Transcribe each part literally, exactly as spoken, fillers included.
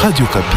Radio Okapi.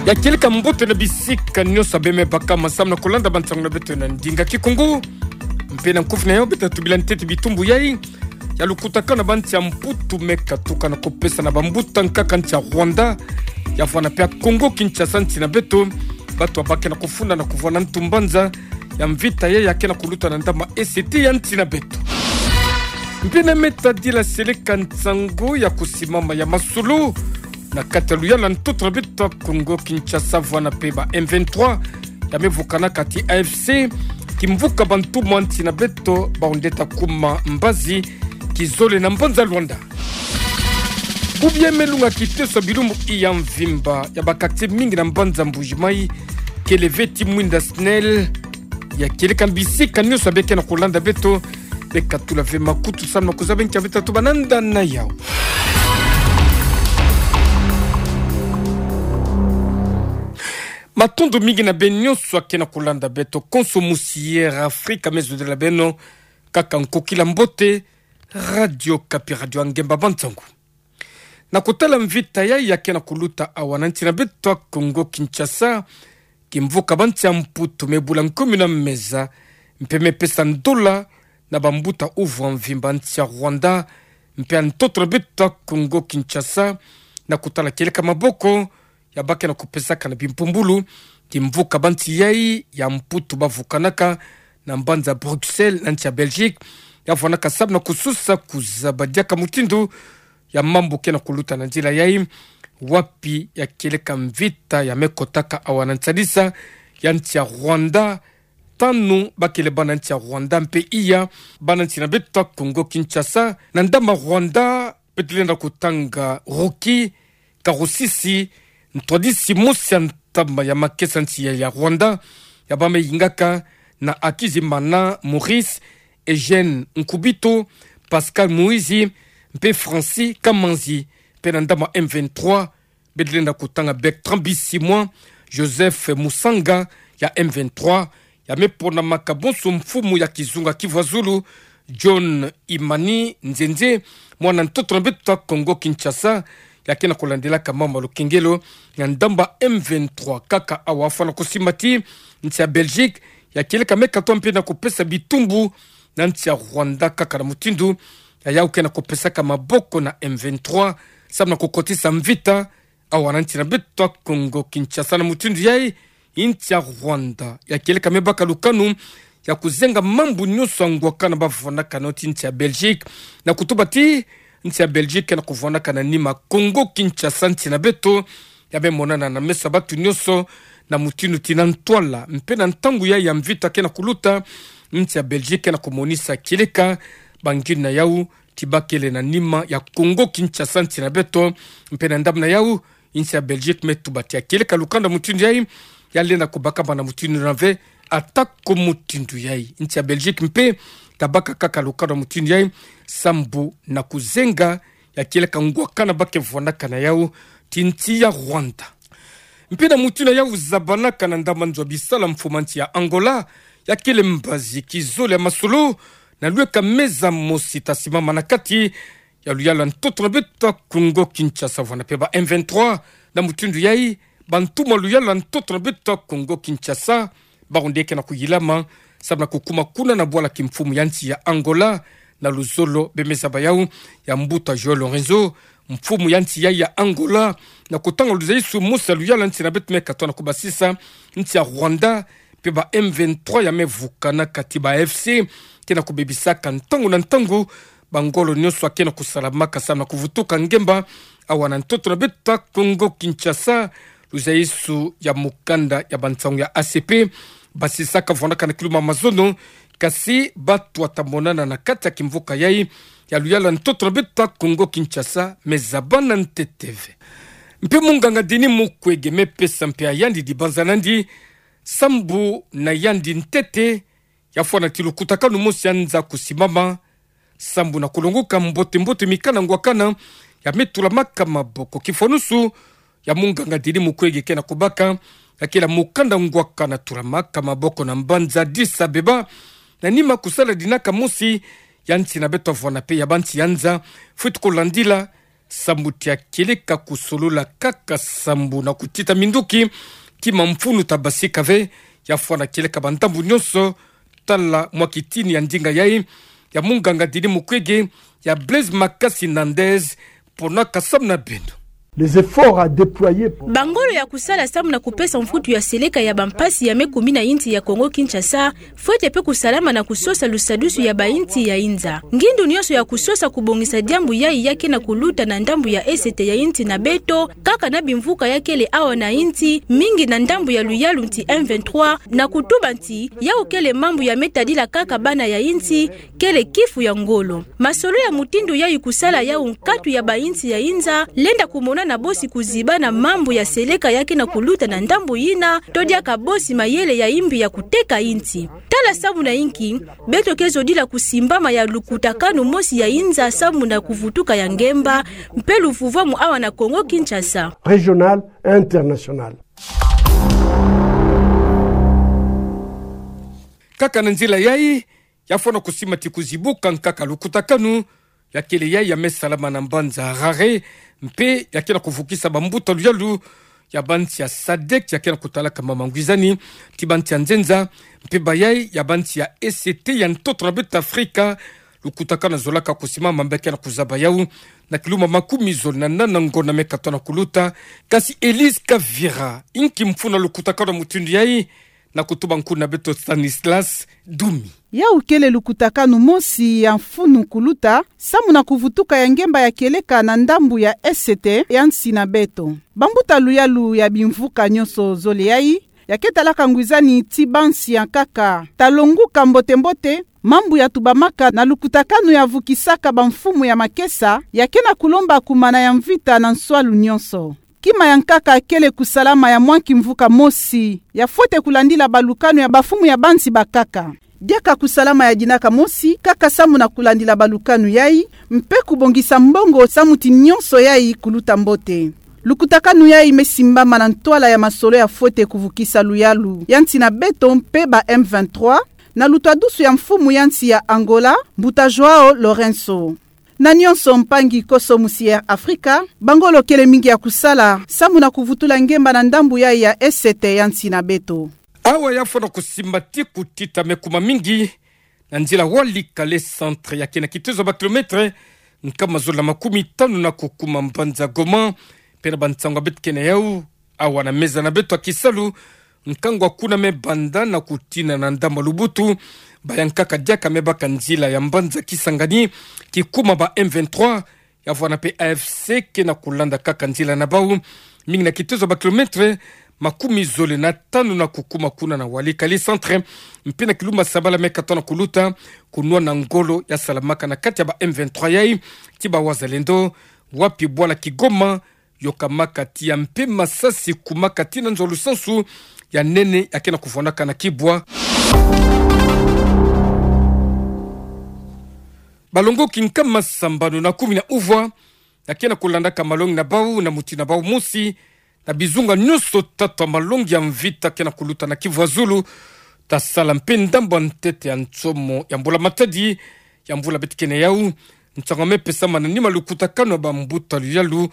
Ya kieleka mbote na bisika nyonso beme baka masamu na kolanda bansangu na beto na ndinga Kikongo. Mpe na nkufi na yau beto tubila ntete bitumbu yai ya lukutakanu na bansi ya Mputu me katuka na kupesa na bambuta nkaka nsi ya Rwanda, ya vwanda pe ya Congo Kinshasa nsi na beto, bato ba ke na kufunda na kuvwanda ntu mbanza ya mvita yai ya ke na kuluta na ndama esete ya nsi na beto. Mpe na me tadila seleka nsangu ya kusimama ya masolo na kati ya luyalu ya ntoto na beto ya Congo Kinshasa vwanda pe ba M vingt-trois ya me vukanaka ti A F C, kimvuka bantu mwa nsi na beto, bawu nde ta kuma mbazi, kizole na mbanza Luanda. Bubu ya me lunga kiteso ya bilumbu iya mvimba ya ba quartier mingi na mbanza Mbuji-Mayi, kele ve ti mwinda SNEL. Ya kieleka na bisika nyonso beke na kolanda beto, beka tula ve makutu samu na kuzaba nki ya beta tubâ na nda na yau. Matondo mingi na beno nyonso ya ke na kolanda beto konso musi Air Afrique, me zodela beno kaka nkokila mbote, Radio Okapi, radio ya ngemba bansangu. Na kutala mvita yai ya ke na kuluta awa na nsi na beto ya Congo Kinshasa, kimvuka bansi ya Mputu me bula nkomi na meza, mpe me pesa ndola na bambuta uvu ya mvimba nsi ya Rwanda, mpe ya ntoto na beto ya Congo Kinshasa, na kutala kieleka maboko ya ba ke na kupesaka na bimpumbulu, kimvuka bansi yai ya Mputu ba vukanaka na mbanza Bruxelles na nsi ya Belgique, ya vwandaka samu na kusosa kuzaba diaka mutindu ya mambu ke na kuluta na nzila yai, wapi ya kieleka mvita ya me kotaka awa na nsadisa ya nsi ya Rwanda. Tanu bakele bana nsi ya Rwanda mpe iya bana nsi na beto ya Congo Kinshasa. Na ndama Rwanda, beto lenda kutanga Rocky Karusisi, ntwadisi mosi ya ntama ya makesa nsi ya, ya Rwanda, ya ba me yingaka na Hakizimana Maurice, Eugène Nkubito, Pascal Moïse, mpe Francis Kamanzi. Mpe na ndama M vingt-trois, beto lenda kutanga Bertrand Bisimwa, Joseph Musanga ya M vingt-trois, ya me ponamaka bonso mfumu ya kizunga Kivu ya Zulu, John Imani Nzenze, mwana ntoto na beto ya Congo Kinshasa, ya ke na kulandelaka mambu ya lukengelo na ndamba M vingt-trois. Kaka awa fwana kusimba ti nsi ya Belgique ya kieleka me katoa mpe na kupesa bitumbu na nsi ya Rwanda, kaka na mutindu ya yau ke na kupesaka maboko na M vingt-trois, samu na kukotisa mvita awa na nsi na beto ya Congo Kinshasa. Na mutindu yai, nsi ya Rwanda ya kieleka me baka lukanu ya kuzenga mambu nyonso ya ngwakana ba vwandaka na yo ti nsi ya Belgique, na kutuba ti nsi ya Belgique ke na kuvwandaka na nima Congo Kinshasa nsi na beto, ya me monana na meso ya bato nyonso, na mutindu ti na ntwala mpe na ntangu yai ya mvita ke na kuluta, nsi ya Belgique ke na kumonisa kieleka bangindu na yau ti bakele na nima ya Congo Kinshasa nsi na beto. Mpe na ndambu na yau, nsi ya Belgique me tuba ti ya kieleka lukanu ya mutindu yai, ya lenda kubaka bana mutindu na ve, ata ko mutindu yai, nsi ya Belgique mpe ta baka kaka lukanu ya mutindu yai, sambu na kuzenga ya kieleka ngwakana ba ke vwandaka na yau ti nsi ya Rwanda. Mpe na mutindu yau zabanaka na ndambu nzo ya bisala, mfumu ya nsi ya Angola ya kele mbazi kizole ya masolo na lweka meza mosi ta simama na kati ya luyalu ya ntoto na beto ya Congo Kinshasa vwanda pe ba M vingt-trois. Na mutindu yai, bantu mwa luyalu ya ntoto na beto ya Congo Kinshasa, bawu nde ke na kuyilama samu na kukuma kuna na bwala kimfumu ya nsi ya Angola, na luzolo be me zaba yau ya mbuta João Lourenço, mfumu ya nsi yai ya Angola, na kutanga luzayisu mosi ya luyalu ya nsi na beto me katoa na kubasisa nsi ya Rwanda, mpe ba M vingt-trois ya me vukana kati ba A F C ke na kubebisaka ntangu na ntangu bangolo nyonso ya ke na kusalamaka samu na kuvutuka ngemba awa na ntoto na beto ya Congo Kinshasa. Luzayisu ya mukanda ya bansangu ya A C P basisaka vwandaka na kiluma mazono, kasi bato ta monana na kati ya kimvuka yai ya luyalu ya ntoto na beto ya Congo Kinshasa me zabana ntete ve. Mpe munganga Denis Mukwege me pesa mpe ya yandi dibanza na yandi sambu na yandi ntete, ya fwana ti lukutakanu mosi ya nza kusimama, sambu na kulongoka mbote mbote mikanda ngwakana ya me tulamaka maboko. Kifwanusu ya munganga Denis Mukwege ke na kubaka, ya kele mukanda ngwaka natulamaka maboko na mbanza Addis Abeba, na nima kusaladinaka mosi ya nsi na beto, vwena pe ya bansi ya nza, fweti kulandila sambu tia kieleka kusolola kaka sambu na kutita minduki ti mamfunu tabasika ve, ya fwana kieleka bandambu nyonso, tala mwa kitini ya ndinga yai ya munganga Denis Mukwege, ya Blaise Makasi Nandez, ponaka samu na beno. Les efforts à déployer pour... Bangolo ya kusala samu na kupesa mvutu ya seleka ya bampasi ya me kumi na insi ya Kongo-Kinshasa, fwete pe kusalama na kusosa lusadusu ya bainsi ya inza. Ngindu nyonso ya kusosa kubongisa diambu yai ya ke na kuluta na ndambu ya esete ya insi na beto, kaka na bimvuka ya kele awa na insi, mingi na ndambu ya luyalu nti M vingt-trois, na kutuba nti, yau kele mambu ya me tadila kaka bana ya insi, kele kifu ya ngolo. Masolo ya mutindu yai kusala yau nkatu ya bainsi ya inza, lenda kumona na bosi kuziba na mambu ya seleka ya ke na kuluta na ndambu yina, to diaka bosi mayele ya imbi ya kuteka insi. Tala samu na inki beto ke zodila kusimbama ya lukutakanu mosi ya inza samu na kuvutuka ya ngemba, mpe luvuvwamu awa na Kongo-Kinshasa. Régional et international. Kaka na nzila yai, ya fwana kusimba ti kuzibuka nkaka lukutakanu ya kele yai ya me salama na mbanza Harare, mpe ya ke na kuvukisa bambuta luyalu ya bansi ya sadek ya ke na kutalaka mama ngwizani ti bansi ya nzenza, mpe bayai ya bansi ya esete ya ntoto na beto Afrika, lukutakanu ya zolaka kusimbama mpe ya ke na kuzaba yau na kilumbu makumi zole na nana ngonda me katoto na kuluta. Kasi Elise Kavira, inki mfunu na lukutakanu ya mutindu yai? Na kutuba nkuna beto Stanislas Dumi. Yau kele lukutakanu mosi ya mfunu kuluta samu na kuvutuka ya ngemba ya kieleka na ndambu ya esete ya nsi na beto. Bambuta luyalu ya bimvuka nyonso zole yai, ya ke talaka ngwizani ti bansi ya nkaka, ta longuka mbote-mbote mambu ya tubamaka na lukutakanu ya vukisaka bamfumu ya makesa ya ke na kulomba kumana ya mvita na nswalu nyonso. Kima ya nkaka kele kusalama ya mwa kimvuka mosi, ya fwete kulandila balukanu ya bafumu ya bansi bakaka. Diaka kusalama ya dinaka mosi kaka samu na kulandila balukanu yai, mpe kubongisa mbongo samu ti nyonso yai kuluta mbote. Lukutakanu yai me simbama na ntwala ya masolo ya fwete kuvukisa luyalu ya nsi na beto mpe ba M vingt-trois, na lutadusu ya mfumu ya nsi ya Angola, Mbuta João Lourenço. Na nyonso, mpangi koso musi Air Afrika, bangolo kele mingi ya kusala samu na kuvutula ngemba na ndambu yai ya esete ya nsi na beto. Awa ya fwana kusimba ti kutita me kuma mingi na nzila Walikale centre ya ke na kitezo ya ba kilomètre nkama zole na makumi tanu na kukuma mbanza Goma, mpe na bansangu ya beto ke na yau awa na meza na beto ya kisalu, nkangu ya kuna me banda na kutina na ndambu ya Lubutu, ba ya nkaka diaka me baka nzila ya mbanza Kisangani kikuma ba M vingt-trois, ya vwanda mpe A F C ke na kulanda kaka nzila na bau, mingi na kitezo ya ba kilomètre makumi zole na tanu na kukuma kuna na Walikale centre, mpe na kilumbu ya sabala me katoto na kuluta, kunwana ngolo ya salamaka na kati ya ba M vingt-trois yai ti ba Wazalendo, wapi bwala Kigoma yokamaka tiya mpe masasi kumaka tii na nzo ya lusansu ya nene ya ke na kuvwandaka na kibwa. Balongoki nkama sambanu na kumi na uvwa ya ke na kulandaka malongi na bau na mutindu na bau mosi, na bizunga nyonso tatu ya malongi ya mvita ke na kuluta na Kivu ya Zulu, ta sala mpe ndambu ya ntete ya nsomo ya mbula matadi ya mvula beto ke na yau. Nsangu ya me pesama na nima lukutakanu ya bambuta luyalu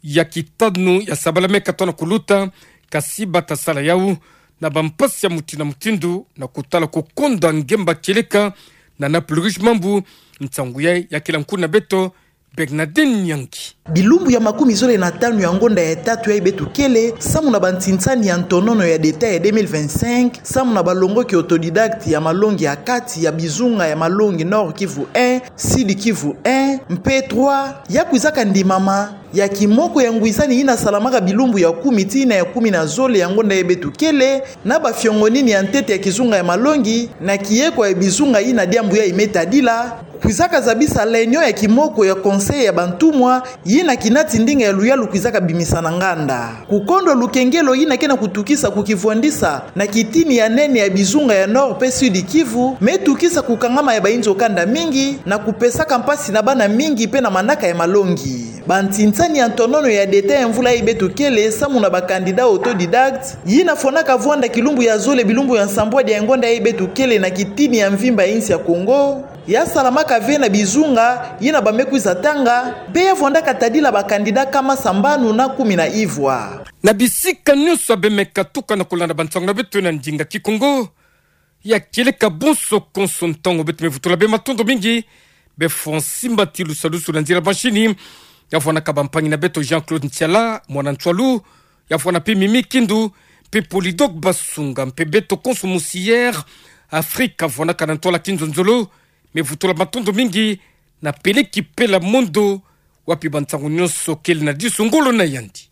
ya kitanu ya sabala me katoto na kuluta, kasi ba ta sala yau na bampasi ya mutindu na mutindu, na kutala kukonda ngemba kieleka na Naples Rouge Mambu. Nsangu yai ya kila nkuna beto Bernadette Nyangi. Bilumbu ya makumi zole na tanu ya ngonda ya tatu yai beto kele, samu na bansinsani ya ntonono ya d'État ya deux mille vingt-cinq, samu na balongoki autodidacte ya malongi ya kati ya bizunga ya malongi Nord Kivu un, Sud Kivu un, mpe trois, ya kwizaka ndimama ya kimoko ya ngwizani yina salamaka bilumbu ya kumi tii na ya kumi na zole ya ngonda yai beto kele, na bafiongonini ya ntete ya kizunga ya malongi, na kiekwa ya bizunga yina diambu yai me tadila, kwizaka zabisa réunion ya kimoko ya conseil ya bantumwa, yina kinati ndinga ya luyalu kwizaka bimisa na nganda. Kukondwa lukengelo yina ke na kutukisa kukivwandisa na kitini ya nene ya bizunga ya Nord mpe Sud Kivu, me tukisa kukangama ya bayinzo kanda mingi, na kupesaka mpasi na bana mingi mpe na manaka ya malongi. Bantinsani ya ntonono ya deta ya mvula yayi beto kele samu na ba candidat autodidacte, yina fwanaka vwanda kilumbu ya zole bilumbu ya nsambwadi ya engonda yayi beto kele na kitini ya mvimba ya insi ya Kongo, ya salamaka ve na bizunga, yina bamekwiza tanga, mpe ya vwandaka tadila ba candidat kama sambanu na kumi na ivwa. Na bisika nyonso ya bemeka tukana kolanda bansangu na beto na ndinga Kikongo, ya kieleka bonso konso ntangu beto me vutula bê matondo mingi, bê Francis Mbatilu Salusu na nzila mashini, ya vwanaka bampangi na beto Jean-Claude Ntiala, mwana Ntwalu, ya vwana mpe Mimi Kindu, mpe Polydor Basunga, mpe beto konso Musier Afrika vwanaka na ntwala Kinzonzolo, me vutula matondo mingi na Peleki Pela Mondo, wapi bansangu nyonso kele na disu ngolo na yandi.